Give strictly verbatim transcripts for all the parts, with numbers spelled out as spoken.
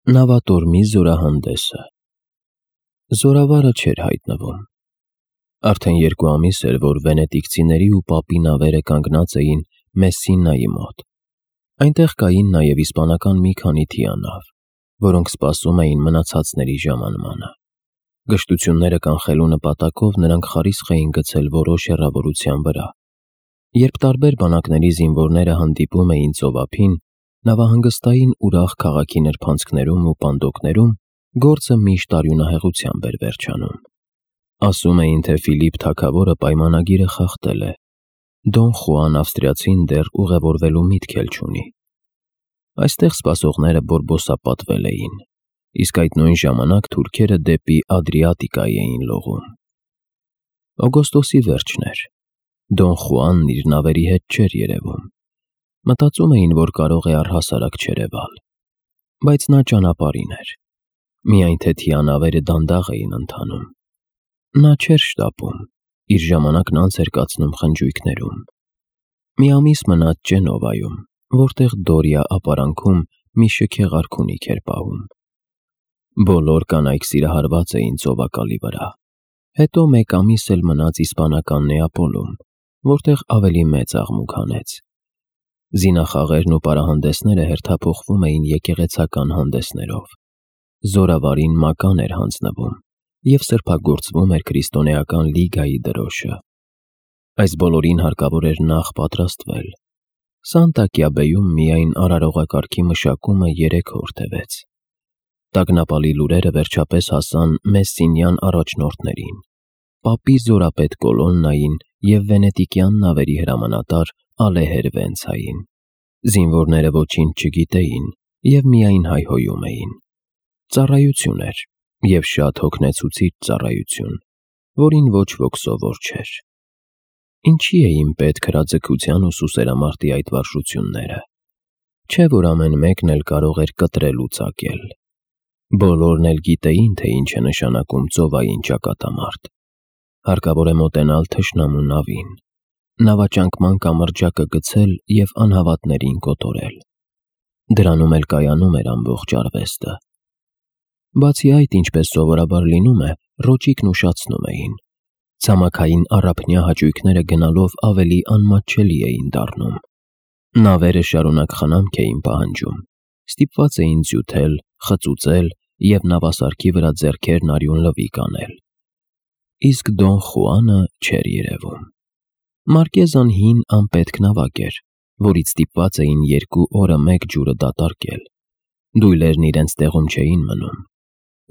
Նավատորմի զորահանդեսը։ Զորավարը չէր հայտնվում։ Արդեն երկու ամիս էր, որ վենետիկցիների ու պապի նավերը կանգնած էին Մեսսինայի մոտ։ Այնտեղ կային նաև իսպանական մի քանի թիանավ, որոնք սպասում էին մնացածների ժամանմանը։ Գժտությունները կանխելու նպատակով նրանք խարիսխ էին գցել որոշ հեռավորության վրա։ Երբ տարբեր բանակների զինվորները հանդիպում էին ծովափին, նավահանգստային ուրախ քաղաքի նրբանցքներում ու պանդոկներում, գործը միշտ արյունահեղությամբ էր վերջանում։ Ասում էին, թե Ֆիլիպ թագավորը պայմանագիրը խախտել է։ Դոն Խուան ավստրիացին դեռ ուղևորվելու միտք էլ չունի։ Այստեղ սպասողները բորբոսապատվել էին, իսկ այդ նույն ժամանակ թուրքերը դեպի Ադրիատիկայի էին լողում։ Օգոստոսի վերջն էր։ Դոն Խուանն իր նավերի հետ չէր երևում։ Մտածում էին, որ կարող է առհասարակ չերևալ, բայց նա ճանապարհին էր։ Միայն թե թիանավերը դանդաղ էին ընթանում։ Նա չէր շտապում, իր ժամանակն անց էր կացնում խնջույքներում։ Մի ամիս մնաց Ջենովայում, որտեղ Դորիա ապարանքում մի շքեղ արքունիք էր պահում։ Բոլոր կանայք սիրահարված էին ծովակալի վրա։ Հետո մեկ ամիս էլ մնաց իսպանական Նեապոլում, որտեղ ավելի մեծ աղմուկ հանեց։ Զինախաղերն ու պարահանդեսները հերթափոխվում էին եկեղեցական հանդեսներով։ Զորավարին մական էր հանձնվում և սրբագործվում էր քրիստոնեական լիգայի դրոշը։ Այս բոլորին հարկավոր էր նախ պատրաստվել։ Սանտա Կյաբեում միայն արարողակարգի մշակումը երեք օր տևեց։ Տագնապալի լուրերը վերջապես հասան Մեսսինյան առաջնորդներին, պապի զորապետ Կոլոննային և վենետիկյան նավերի հրամանատար Ալեհեր Վենցային։ Զինվորները ոչինչ չգիտեին և միայն հայհոյում էին։ Ծառայություն էր, և շատ հոգնեցուցիչ ծառայություն, որին ոչ ոք սովոր չէր։ Ինչի էին պետք հրաձգության ու սուսերամարտի այդ վարժությունները։ Չէ՞ որ ամեն մեկն էլ կարող էր կտրել ու ծակել։ Բոլորն էլ գիտեին, թե ինչ է նշանակում ծովային ճակատամարտ։ Հարկավոր է մոտենալ թշնամու նավին, նավաճանկման կամրջակը գցել և անհավատներին կոտորել։ Դրանում էլ կայանում էր ամբողջ արվեստը։ Բացի այդ, ինչպես սովորաբար լինում է, ռոճիկն ուշացնում էին։ Ցամաքային առափնյա հաճույքները գնալով ավելի անմատչելի էին դառնում։ Նավերը շարունակ խնամք էին պահանջում, ստիպված էին ձյութել, խծուծել և նավասարքի վրա ձեռքերն արյուն լվիկ անել։ Իսկ Դոն Խուանը չէր երևում։ Մարկեզան հին անպետք նավակ էր, որից ստիպված էին երկու օրը մեկ ջուրը դատարկել։ Դույլերն իրենց տեղում չէին մնում։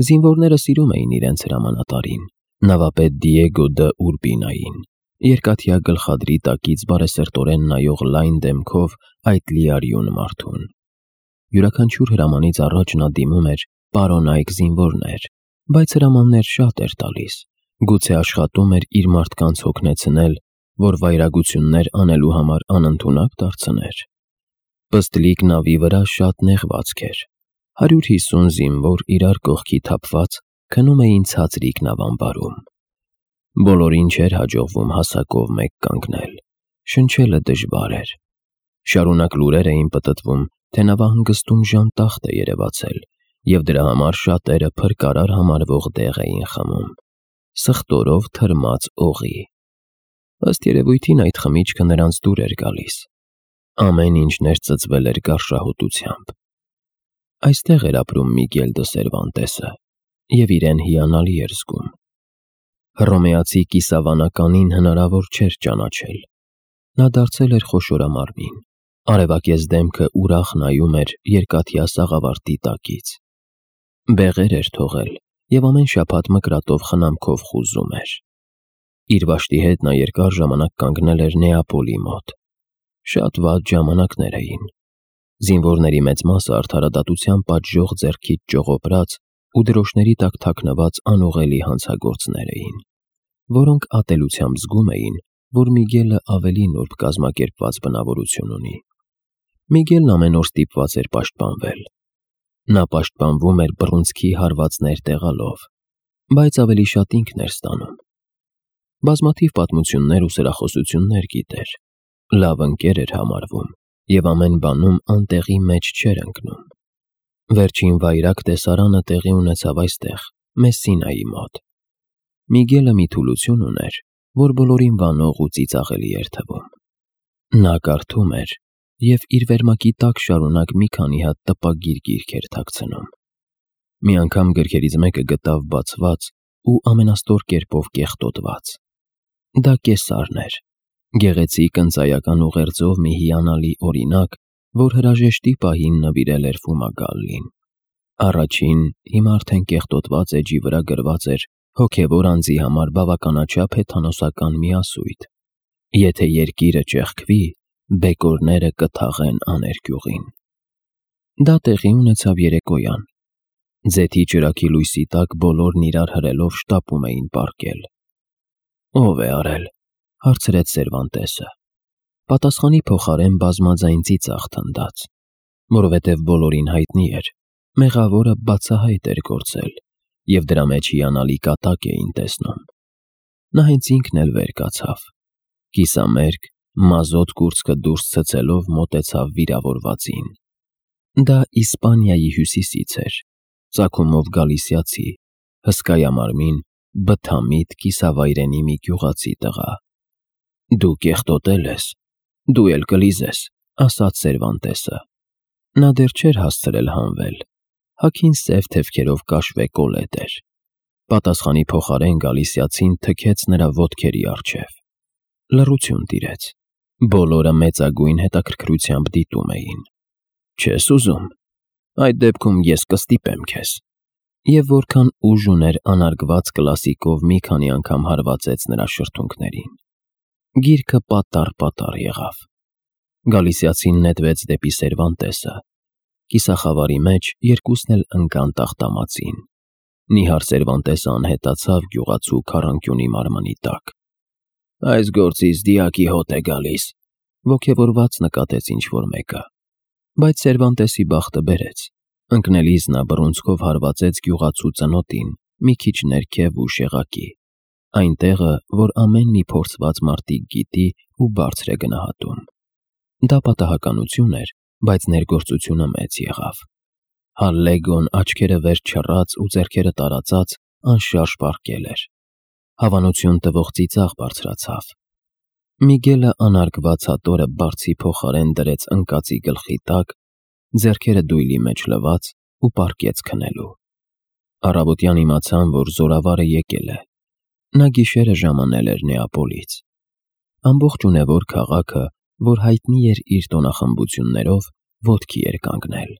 Զինվորները սիրում էին իրենց հրամանատարին, նավապետ Դիեգո դը Ուրբինային, երկաթյա գլխադրի տակից բարեսրտորեն նայող լայն դեմքով այդ լիարյուն մարդուն։ Յուրաքանչյուր հրամանից առաջ նա դիմում էր «Պարոնայք զինվորներ», բայց հրամաններ շատ էր տալիս, գուցե աշխատում էր իր մարդկանց հոգնեցնել, որ վայրագություններ անելու համար անընդունակ դարձներ։ Պստլիկ նավի վրա շատ նեղվածք էր։ Հարյուր հիսուն զինվոր իրար կողքի թափված քնում էին ցածրիկ նավամբարում։ Բոլորին չէր հաջողվում հասակով մեկ կանգնել։ Շնչելը դժվար էր։ Շարունակ լուրեր էին պտտվում, թե նավահանգստում ժանտախտ է երևացել, և դրա համար շատերը փրկարար համարվող դեղ էին խմում։ Սխտորով թրմած օղի։ Ըստ երևույթին այդ խմիչքը նրանց դուր էր գալիս։ Ամեն ինչ ներծծվել էր գարշահոտությամբ։ Այստեղ էր ապրում Միգել դը Սերվանտեսը, և իրեն հիանալի էր զգում։ Հռոմեացի կիսավանականին հնարավոր չէր ճանաչել։ Նա դարձել էր խոշորամարմին։ Արևակեզ դեմքը ուրախ նայում էր երկաթյա սաղավարտի տակից։ Բեղեր էր թողել և ամեն շաբաթ մկրատով խնամքով խուզում էր։ Իր վաշտի հետ նա երկար ժամանակ կանգնել էր Նեապոլի մոտ։ Շատ վատ ժամանակներ էին։ Զինվորների մեծ մասը արդարադատության պատժող ձեռքից ճողոպրած ու դրոշների տակ թաքնված անուղելի հանցագործներ էին, որոնք ատելությամբ զգում էին, որ Միգելը ավելի նուրբ կազմակերպված բնավորություն ունի։ Միգելն ամեն օր ստիպված էր պաշտպանվել։ Նա պաշտպանվում էր բռունցքի հարվածներ տեղալով, բայց ավելի շատ ինքն էր ստանում։ Բազմաթիվ պատմություններ ու սրախոսություններ գիտեր։ Լավ ընկեր էր համարվում և ամեն բանում անտեղի մեջ չէր ընկնում։ Վերջին վայրագ տեսարանը տեղի ունեցավ այստեղ, Մեսսինայի մոտ։ Միգելը մի թուլություն ուներ, որ բոլորին վանող ու ծիծաղելի էր թվում։ Նա կարդում էր և իր վերմակի տակ շարունակ մի քանի հատ տպագիր գիրք էր թաքցնում։ Մի անգամ գրքերից մեկը գտավ բացված ու ամենաստոր կերպով կեղտոտված։ Դա Կեսարն էր, գեղեցիկ ընծայական ուղերձով մի հիանալի օրինակ, որ հրաժեշտի պահին նվիրել էր Ֆումագալլին։ Առաջին, հիմա արդեն կեղտոտված էջի վրա գրված էր հոգևոր անձի համար բավականաչափ հեթանոսական միասույթ. «Եթե երկիրը ճեղքվի, բեկորները կթաղեն աներկյուղին»։ Դա տեղի ունեցավ երեկոյան։ Ձեթի ճրագի լույսի տակ բոլորն իրար հրելով շտապում էին պառկել։ «Ո՞վ է արել», հարցրեց Սերվանտեսը։ Պատասխանի փոխարեն բազմաձայն ծիծաղ թնդաց, որովհետև բոլորին հայտնի էր, մեղավորը բացահայտ էր գործել, և դրա մեջ հիանալի կատակ էին տեսնում։ Նա հենց ինքն էլ վեր կացավ, կիսամերկ, մազոտ կուրծքը դուրս ցցելով մոտեցավ վիրավորվածին։ Դա Իսպանիայի հյուսիսից էր, ծագումով գալիսիացի, հսկայամարմին, բթամիտ կիսավայրենի մի գյուղացի տղա։ «Դու կեղտոտել ես, դու էլ կլիզես», ասաց Սերվանտեսը։ Նա դեռ չէր հասցրել հանվել, հագին սև թևքերով կաշվե կոլետ էր։ Պատասխանի փոխարեն գալիսիացին թքեց նրա ոտքերի առջև։ Լռություն տիրեց։ Բոլորը մեծագույն հետաքրքրությամբ դիտում էին։ «Չես ուզում, այդ դեպքում ես կստիպեմ քեզ»։ Եվ որքան ուժ ուներ անարգված կլասիկով մի քանի անգամ հարվածեց նրա շրթունքներին։ Գիրքը պատառ-պատառ եղավ։ Գալիսիացին նետվեց դեպի Սերվանտեսը։ Կիսախավարի մեջ երկուսն էլ ընկան տախտամածին։ Նիհար Սերվանտեսը անհետացավ գյուղացու քառանկյունի մարմնի տակ։ «Այս գործից դիակի հոտ է գալիս», ոգևորված նկատեց ինչ-որ մեկը։ Բայց Սերվանտեսի բախտը բերեց։ Ընկնելիս նա բռունցքով հարվածեց գյուղացու ծնոտին մի քիչ ներքև ու շեղակի, այնտեղը, որ ամեն մի փորձված մարտիկ գիտի ու բարձր է գնահատում։ Դա պատահականություն էր, բայց ներգործությունը մեծ եղավ։ Հալլեգոն աչքերը վեր չռած ու ձեռքերը տարածած անշարժ պառկել էր։ Հավանություն տվող ծիծաղ բարձրացավ։ Միգելը անարգված հատորը բարձի փոխարեն դրեց ընկածի գլխի տակ, ձեռքերը դույլի մեջ լվաց ու պառկեց քնելու։ Առավոտյան իմացան, որ զորավարը եկել է։ Նա գիշերը ժամանել էր Նեապոլից։ Ամբողջ ունևոր քաղաքը, որ հայտնի էր իր տոնախմբություններով, ոտքի էր կանգնել։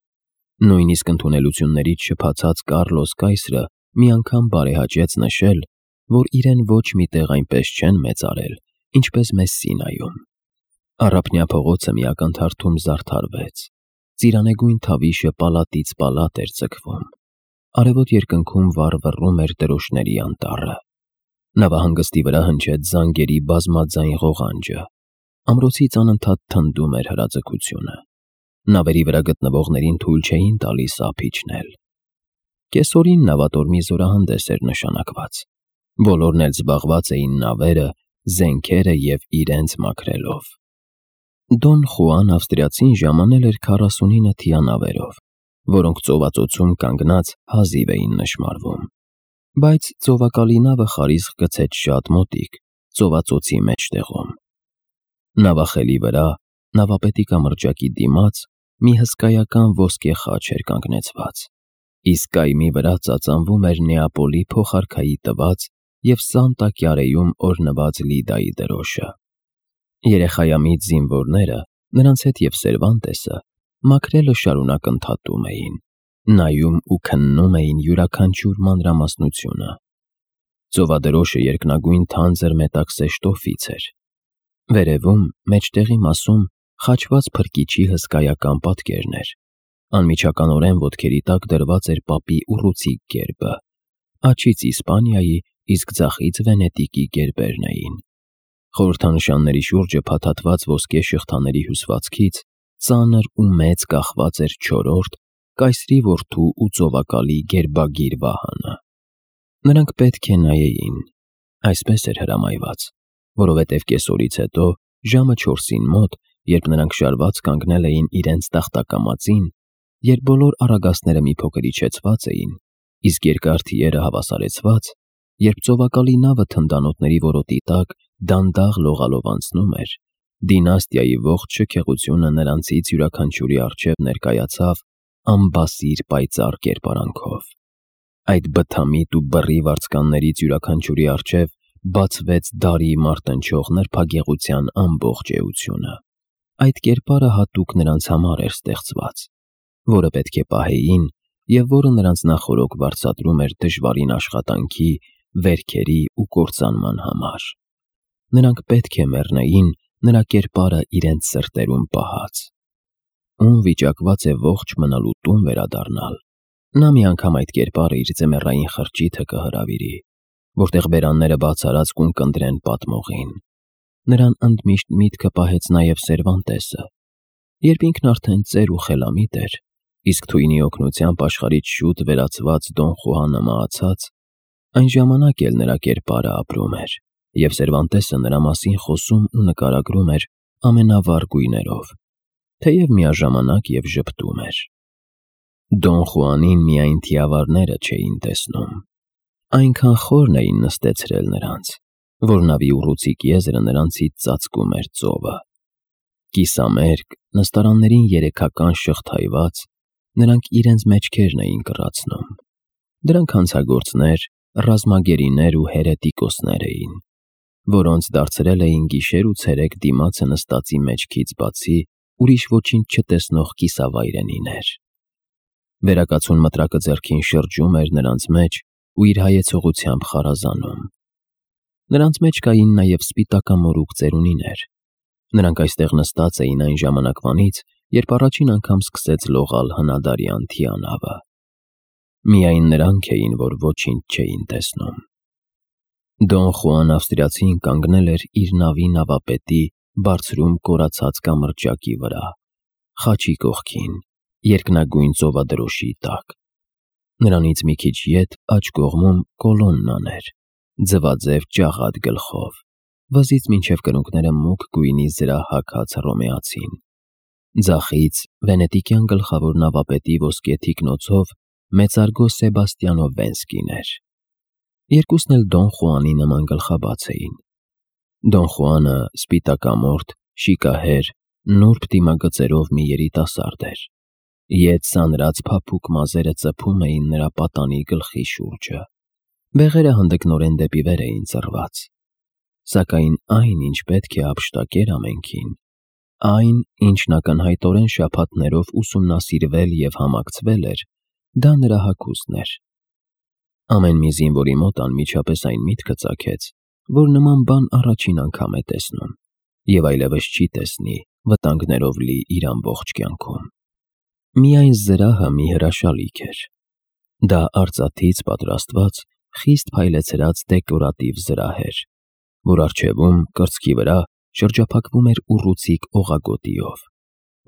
Նույնիսկ ընդունելություններից շփացած Կառլոս կայսրը մի անգամ բարեհաճեց նշել, որ իրեն ոչ մի տեղ այնպես չեն մեծարել, ինչպես Մեսսինայում։ Առափնյա փողոցը մի ակնթարթում զարդարվեց։ Ծիրանեգույն թավիշը պալատից պալատ էր ձգվում։ Արևոտ երկնքում վառվռում էր դրոշների անտառը։ Նավահանգստի վրա հնչեց զանգերի բազմաձայն ղողանջը։ Ամրոցից անընդհատ թնդում էր հրաձգությունը։ Նավերի վրա գտնվողներին թույլ չէին տալիս ափ իջնել։ Կեսօրին նավատորմի զորահանդես էր նշանակված։ Բոլորն էլ զբաղված էին նավերը, զենքերը և իրենց մաքրելով։ Դոն Խուան ավստրիացին ժամանել էր քառասունինը թիանավերով, որոնք ծովածոցում կանգնած հազիվ էին նշմարվում։ Բայց ծովակալի նավը խարիսխ գցեց շատ մոտիկ, ծովածոցի մեջտեղում։ Նավախելի վրա, նավապետի կամրջակի դիմաց, մի հսկայական ոսկե խաչ էր կանգնեցված, իսկ կայմի վրա ծածանվում էր Նեապոլի փոխարքայի տված և Սանտա Կյարեում օրհնված Լիդայի դրոշը։ Երեխայամիտ զինվորները, նրանց հետ և Սերվանտեսը, մաքրելը շարունակ ընդհատում էին, նայում ու քննում էին յուրաքանչյուր մանրամասնությունը։ Ծովադրոշը երկնագույն թանձր մետաքսե շտոֆից էր։ Վերևում, մեջտեղի մասում, խաչված փրկիչի հսկայական պատկերն էր։ Անմիջականորեն ոտքերի տակ դրված էր պապի ուռուցիկ գերբը, աջից Իսպանիայի, իսկ ձախից Վենետիկի գերբերն էին։ Խորհրդանշանների շուրջը փաթաթված ոսկե շղթաների հյուսվածքից ծանր ու մեծ կախված էր չորրորդ, կայսրի որդու ու ծովակալի գերբագիր վահանը։ Նրանք պետք է նայեին, այսպես էր հրամայված, որովհետև կեսօրից հետո, ժամը չորսին մոտ, երբ նրանք շարված կանգնել էին իրենց տախտակամածին, երբ բոլոր առագաստները մի փոքր իջեցված էին, իսկ երկար թիերը հավասարեցված, երբ ծովակալի նավը թնդանոթների որոտի տակ դանդաղ լողալով անցնում էր, դինաստիայի ողջ շքեղությունը նրանցից յուրաքանչյուրի առջև ներկայացավ անբասիր պայծառ կերպարանքով։ Այդ բթամիտ ու բռի վարձկաններից յուրաքանչյուրի առջև բացվեց դարի մարտնչող նրբագեղության ամբողջ էությունը։ Այդ կերպարը հատուկ նրանց համար էր ստեղծված, որը պետք է պահեին և որը նրանց նախօրոք վարձատրում էր դժվարին աշխատանքի, վերքերի ու կործանման համար։ Նրանք պետք է մեռնեին նրա կերպարը իրենց սրտերում պահած։ Ում վիճակված է ողջ մնալու տուն վերադառնալ, նա մի անգամ այդ կերպարը իր ձմեռային խրճիթը կհրավիրի, որտեղ բերանները բաց արած կունկնդրեն պատմողին։ Նրան ընդմիշտ միտքը պահեց նաև Սերվանտեսը, երբ ինքն արդեն ծեր ու խելամիտ էր, իսկ թույնի օգնությամբ աշխարհից շուտ վերացված Դոն Խուանը մահացած, այն ժամանակ էլ նրա կերպարը ապրում էր, և Սերվանտեսը նրա մասին խոսում ու նկարագրում էր ամենավառ գույներով, թեև միաժամանակ և ժպտում էր։ Դոն Խուանին միայն թիավարները չէին տեսնում։ Այնքան խորն էին նստեցրել նրանց, որ նավի ուռուցիկ եզրը նրանցից ծածկում էր ծովը։ Կիսամերկ, նստարաններին երեքական շղթայված, նրանք իրենց մեջքերն էին կռացնում։ Դրանք հանցագործներ, ռազմագերիներ ու հերետիկոսներ էին, որոնց դարձրել էին գիշեր ու ցերեկ դիմացը նստածի մեջքից բացի ուրիշ ոչինչ չտեսնող կիսավայրենիներ։ Վերակացուն մտրակը ձեռքին շրջում էր նրանց մեջ ու իր հայեցողությամբ խարազանում։ Նրանց մեջ կային նաև սպիտակամորուք ծերունիներ։ Նրանք այստեղ նստած էին այն ժամանակվանից, երբ առաջին անգամ սկսեց լողալ հնադարյան թիանավը։ Միայն նրանք էին, որ ոչինչ չէին տեսնում։ Դոն Խուան ավստրիացին կանգնել էր իր նավի նավապետի բարձրում կորացած կամրջակի վրա, խաչի կողքին, երկնագույն ծովադրոշի տակ։ Նրանից մի քիչ ետ աջ կողմում կոլոննան էր, ձվաձև ջաղատ գլխով, վզից մինչև կրունկները մուգ գույնի զրահ-հագած հռոմեացին։ Ձախից վենետիկյան գլխավոր նավապետի ոսկե թիկնոցով մեծարգո Սեբաստիանո Վենսկին էր։ Երկուսն էլ Դոն Խուանի նման գլխաբաց էին։ Դոն Խուանը սպիտակամորթ, շիկահեր, նուրբ դիմագծերով մի երիտասարդ էր։ Ետ սանրած փափուկ մազերը ծփում էին նրա պատանի գլխի շուրջը։ Բեղերը հանդգնորեն դեպի վեր էին ծռված։ Սակայն այն, ինչ պետք է ապշտակեր ամենքին, այն, ինչն ակնհայտորեն շաբաթներով ուսումնասիրվել և համակցվել էր, դա նրա հագուստն էր։ Ամեն մի զինվորի մոտ անմիջապես այն միտքը ծագեց, որ նման բան առաջին անգամ է տեսնում և այլևս չի տեսնի վտանգներով լի իր ամբողջ կյանքում։ Միայն զրահը մի հրաշալիք էր։ Դա արծաթից պատրաստված, խիստ փայլեցրած դեկորատիվ զրահ էր, որ առջևում, կրծքի վրա, շրջափակվում էր ուռուցիկ օղագոտիով,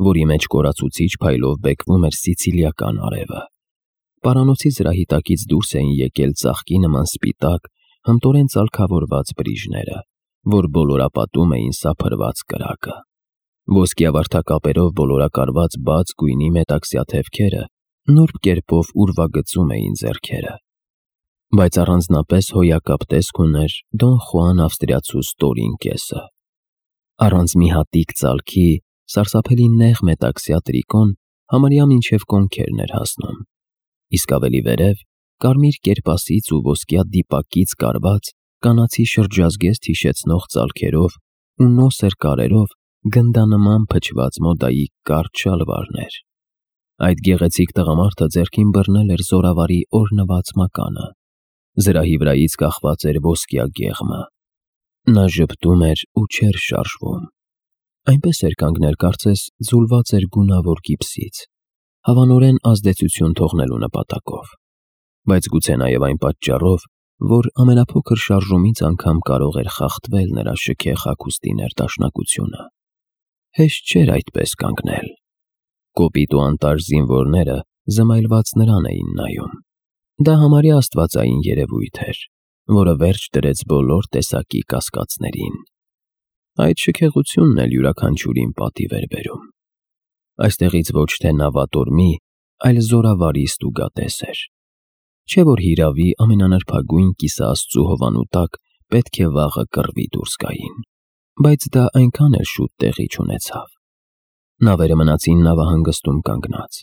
որի մեջ կորացուցիչ փայլով բեկվում էր սիցիլիական արևը։ Պարանոցի զրահի տակից դուրս էին եկել ծաղկի նման սպիտակ, հմտորեն ծալքավորված բրիժները, որ բոլորապատում էին սափրված կրակը։ Ոսկիավարդակապերով բոլորակարված բաց գույնի մետաքսյա թևքերը նուրբ կերպով ուրվագծում էին ձեռքերը։ Բայց առանձնապես հոյակապ տեսք ուներ Դոն Խուան ավստրիացու ստորին կեսը։ Առանց մի հատիկ ծալքի, սարսափելի նեղ մետաքսյա տրիկոն համարյա մինչև կոնքերն էր հասնում, իսկ ավելի վերև, կարմիր կերպասից ու ոսկյա դիպակից կարված, կանացի շրջազգեստ հիշեցնող ծալքերով ու նոսր կարերով գնդանման փչված մոդայի կարճ շալվարներ։ Այդ գեղեցիկ տղամարդը ձեռքին բռնել էր զորավարի օրհնված մականը։ Զրահի վրայից կախված էր ոսկյա գեղմը։ Նա ժպտում էր ու չէր շարժվում։ Այնպես էր կանգնել, կարծես ձուլված էր գունավոր գիպսից, հավանորեն ազդեցություն թողնելու նպատակով, բայց գուցե նաև այն պատճառով, որ ամենափոքր շարժումից անգամ կարող էր խախտվել նրա շքեղ հագուստի ներդաշնակությունը։ Հեշտ չէր այդպես կանգնել։ Կոպիտ ու անտարժ զինվորները զմայլված նրան էին նայում։ Դա համարյա աստվածային երևույթ էր, որը վերջ դրեց բոլոր տեսակի կասկածներին։ Այդ շքեղությունն էլ յուրաքանչյուրին պատիվ էր բերում։ Այստեղից ոչ թե նավատորմի, այլ զորավարի ստուգատես էր։ Չէ որ հիրավի ամենանրբագույն կիսաաստծու հովանու տակ պետք է վաղը կռվի դուրս գային, բայց դա այնքան էլ շուտ տեղի չունեցավ։ Նավերը մնացին նավահանգստում կանգնած։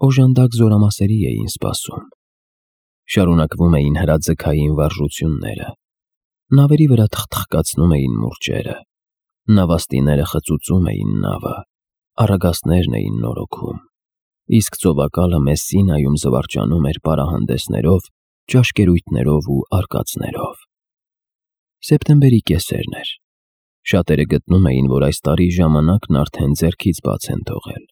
Օժանդակ զորամասերի էին սպասում։ Շարունակվում էին հրաձգային վարժությունները։ Նավերի վրա թխթխկացնում էին մուրճերը։ Նավաստիները խծուծում էին նավը, առագաստներն էին նորոգում, իսկ ծովակալը Մեսսինայում զվարճանում էր պարահանդեսներով, ճաշկերույթներով ու արկածներով։ Սեպտեմբերի կեսերն էր։ Շատերը գտնում էին, որ այս տարի ժամանակն արդեն ձեռքից բաց են թողել։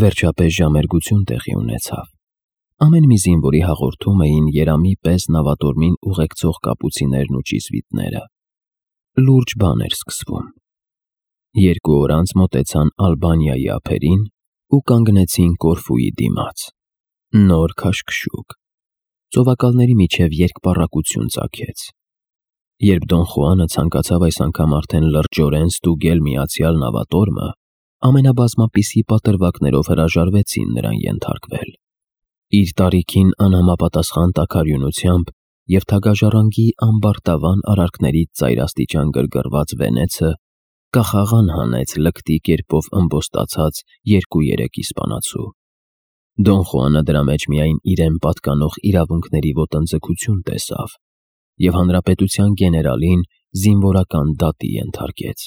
Վերջապես ժամերգություն տեղի ունեցավ։ Ամեն մի զինվորի հաղորդում էին երամի պես նավատորմին ուղեկցող կապուցիներն ու ճիզվիտները։ Լուրջ բան էր սկսվում։ Երկու օր անց մոտեցան Ալբանիայի ափերին ու կանգնեցին Կորֆուի դիմաց։ Նոր քաշքշուկ։ Ծովակալների միջև երկպառակություն ծագեց։ Երբ Դոն Խուանը ցանկացավ այս անգամ արդեն լրջորեն ստուգել միացյալ նավատորմը, ամենաբազմապիսի պատրվակներով հրաժարվեցին նրան ենթարկվել։ Իր տարիքին անհամապատասխան տաքարյունությամբ և թագաժառանգի ամբարտավան արարքներից ծայրաստիճան գրգռված վենեցը կախաղան հանեց լկտի կերպով ըմբոստացած երկու-երեք իսպանացու։ Դոն Խուանը դրա մեջ միայն իրեն պատկանող իրավունքների ոտնձգություն տեսավ և հանրապետության գեներալին զինվորական դատի ենթարկեց։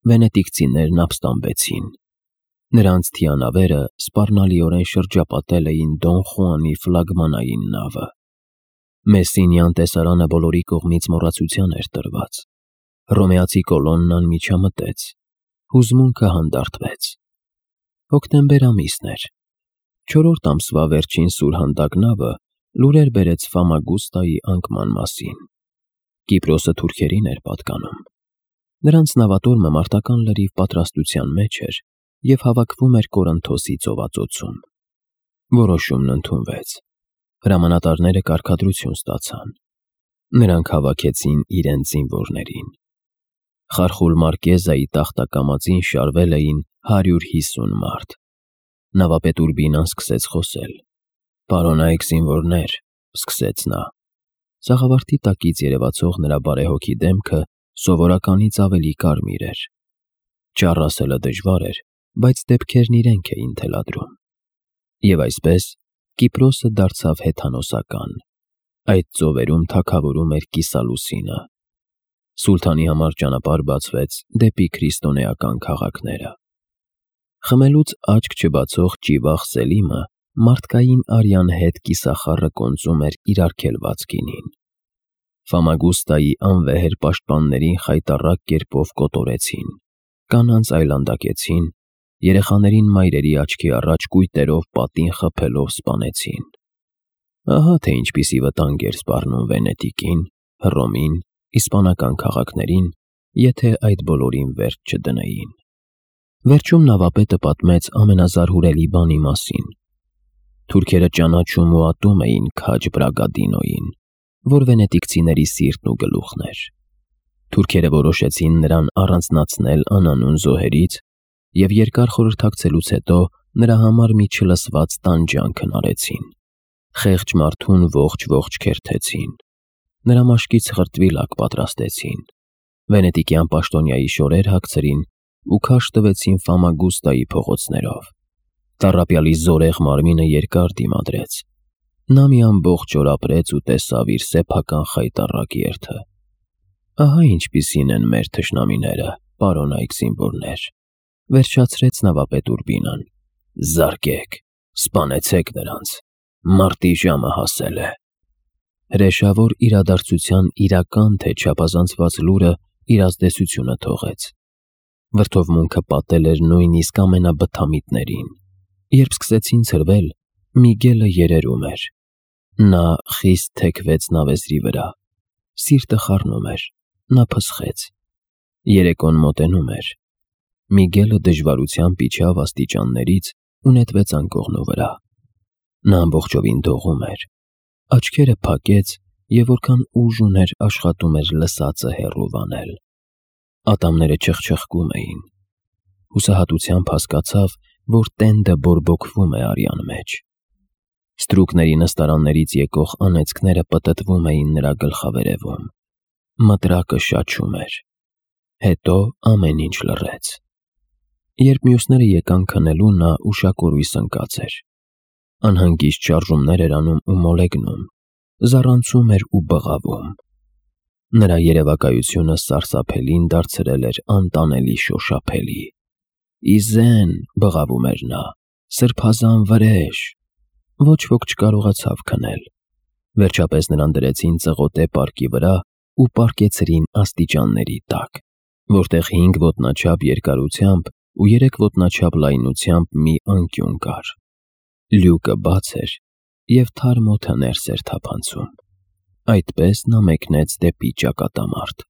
Վենետիկցիներն ապստամբեցին։ Նրանց թիանավերը սպառնալիորեն շրջապատել էին Դոն Խուանի ֆլագմանային նավը։ Մեսսինյան տեսարանը բոլորի կողմից մոռացության էր տրված։ Հռոմեացի կոլոննան միջամտեց։ Հուզմունքը հանդարտվեց։ Հոկտեմբեր ամիսն էր։ Չորրորդ ամսվա վերջին սուրհանդակ նավը լուրեր բերեց Ֆամագուստայի անկման մասին։ Կիպրոսը թուրքերին էր պատկանում։ Նրանց նավատորմը մարտական լրիվ պատրաստության մեջ էր և հավաքվում էր Կորինթոսի ծովածոցում։ Որոշումն ընդունվեց։ Հրամանատարները կարգադրություն ստացան։ Նրանք հավաքեցին իրենց զինվորներին։ Խարխուլ Մարկեզայի տախտակամածին շարվել էին հարյուր հիսուն մարդ։ Նավապետ Ուրբինան սկսեց խոսել։ «Պարոնայք զինվորներ», սկսեց նա։ Սաղավարտի տակից երևացող նրա բարեհոգի դեմքը սովորականից ավելի կարմիր էր։ Ճառ ասելը դժվար էր, բայց դեպքերն իրենք էին թելադրում։ Եվ այսպես Կիպրոսը դարձավ հեթանոսական։ Այդ ծովերում թագավորում էր կիսալուսինը։ Սուլթանի համար ճանապարհ բացվեց դեպի քրիստոնեական քաղաքները։ Խմելուց աչք չբացող Ճիվախ Սելիմը մարդկային արյան հետ կիսախառը կոնծում էր իր արգելված գինին։ Ֆամագուստայի անվեհեր պաշտպաններին խայտառակ կերպով կոտորեցին, կանանց այլանդակեցին, երեխաներին մայրերի աչքի առաջ կույտերով պատին խփելով սպանեցին։ Ահա թե ինչպիսի վտանգ էր սպառնում Վենետիկին, Հռոմին, իսպանական քաղաքներին, եթե այդ բոլորին վերջ չդնեին։ Վերջում նավապետը պատմեց ամենազարհուրելի բանի մասին։ Թուրքերը ճանաչում ու ատում էին քաջ Բրագադինոյին, որ վենետիկցիների սիրտն ու գլուխն էր։ Թուրքերը որոշեցին նրան առանձնացնել անանուն զոհերից և երկար խորհրդակցելուց հետո նրա համար մի չլսված տանջանք հնարեցին։ Խեղճ մարդուն ողջ-ողջ քերթեցին։ Նրա մաշկից խրտվիլակ պատրաստեցին։ Վենետիկյան պաշտոնյայի շորեր հագցրին ու քարշ տվեցին Ֆամագուստայի փողոցներով։ Տառապյալի զորեղ մարմինը երկար դիմադրեց։ Նա մի ամբողջ օր ապրեց ու տեսավ իր սեփական խայտառակ երթը։ Ահա ինչպիսին են մեր թշնամիները, պարոնայք զինվորներ, վերջացրեց նավապետ Ուրբինան։ Զարկեք, սպանեցեք նրանց, մարտի ժամը հասել է։ Հրեշավոր իրադարձության իրական թե չափազանցված լուրը իր ազդեցությունը թողեց։ Վրդովմունքը պատել էր նույնիսկ ամենաբթամիտներին։ Երբ սկսեցին ցրվել, Միգելը երերում էր։ Նա խիստ թեքվեց նավեզրի վրա։ Սիրտը խառնում էր, նա փսխեց։ Երեկոն մոտենում էր։ Միգելը դժվարությամբ իջավ աստիճաններից ու նետվեց անկողնու վրա։ Նա ամբողջովին դողում էր։ Աչքերը փակեց և որքան ուժ ուներ աշխատում էր լսածը հեռու վանել։ Ատամները չխչխկում էին։ Հուսահատությամբ հասկացավ, որ տենդը բորբոքվում է արյան մեջ։ Ստրուկների նստարաններից եկող անեծքները պտտվում էին նրա գլխավերևում։ Մտրակը շաչում էր։ Հետո ամեն ինչ լռեց։ Երբ մյուսները եկան քնելու, նա ուշակորույս ընկած էր։ Անհանգիստ շարժումներ էր անում ու մոլեգնում, զառանցում էր ու բղավում։ Նրա երևակայությունը սարսափելին դարձրել էր անտանելի շոշափելի։ «Իզեն», բղավում էր նա, «սրբազան վրեժ»։ Ոչ ոք չկարողացավ քնել։ Վերջապես նրան դրեցին ծղոտե պարկի վրա ու պառկեցրին աստիճանների տակ, որտեղ հինգ ոտնաչափ երկարությամբ ու երեք ոտնաչափ լայնությամբ մի անկյուն կար։ Լյուկը բաց էր, և թարմ օդը ներս էր թափանցում։ Այդպես նա մեկնեց դեպի ճակատամարտ։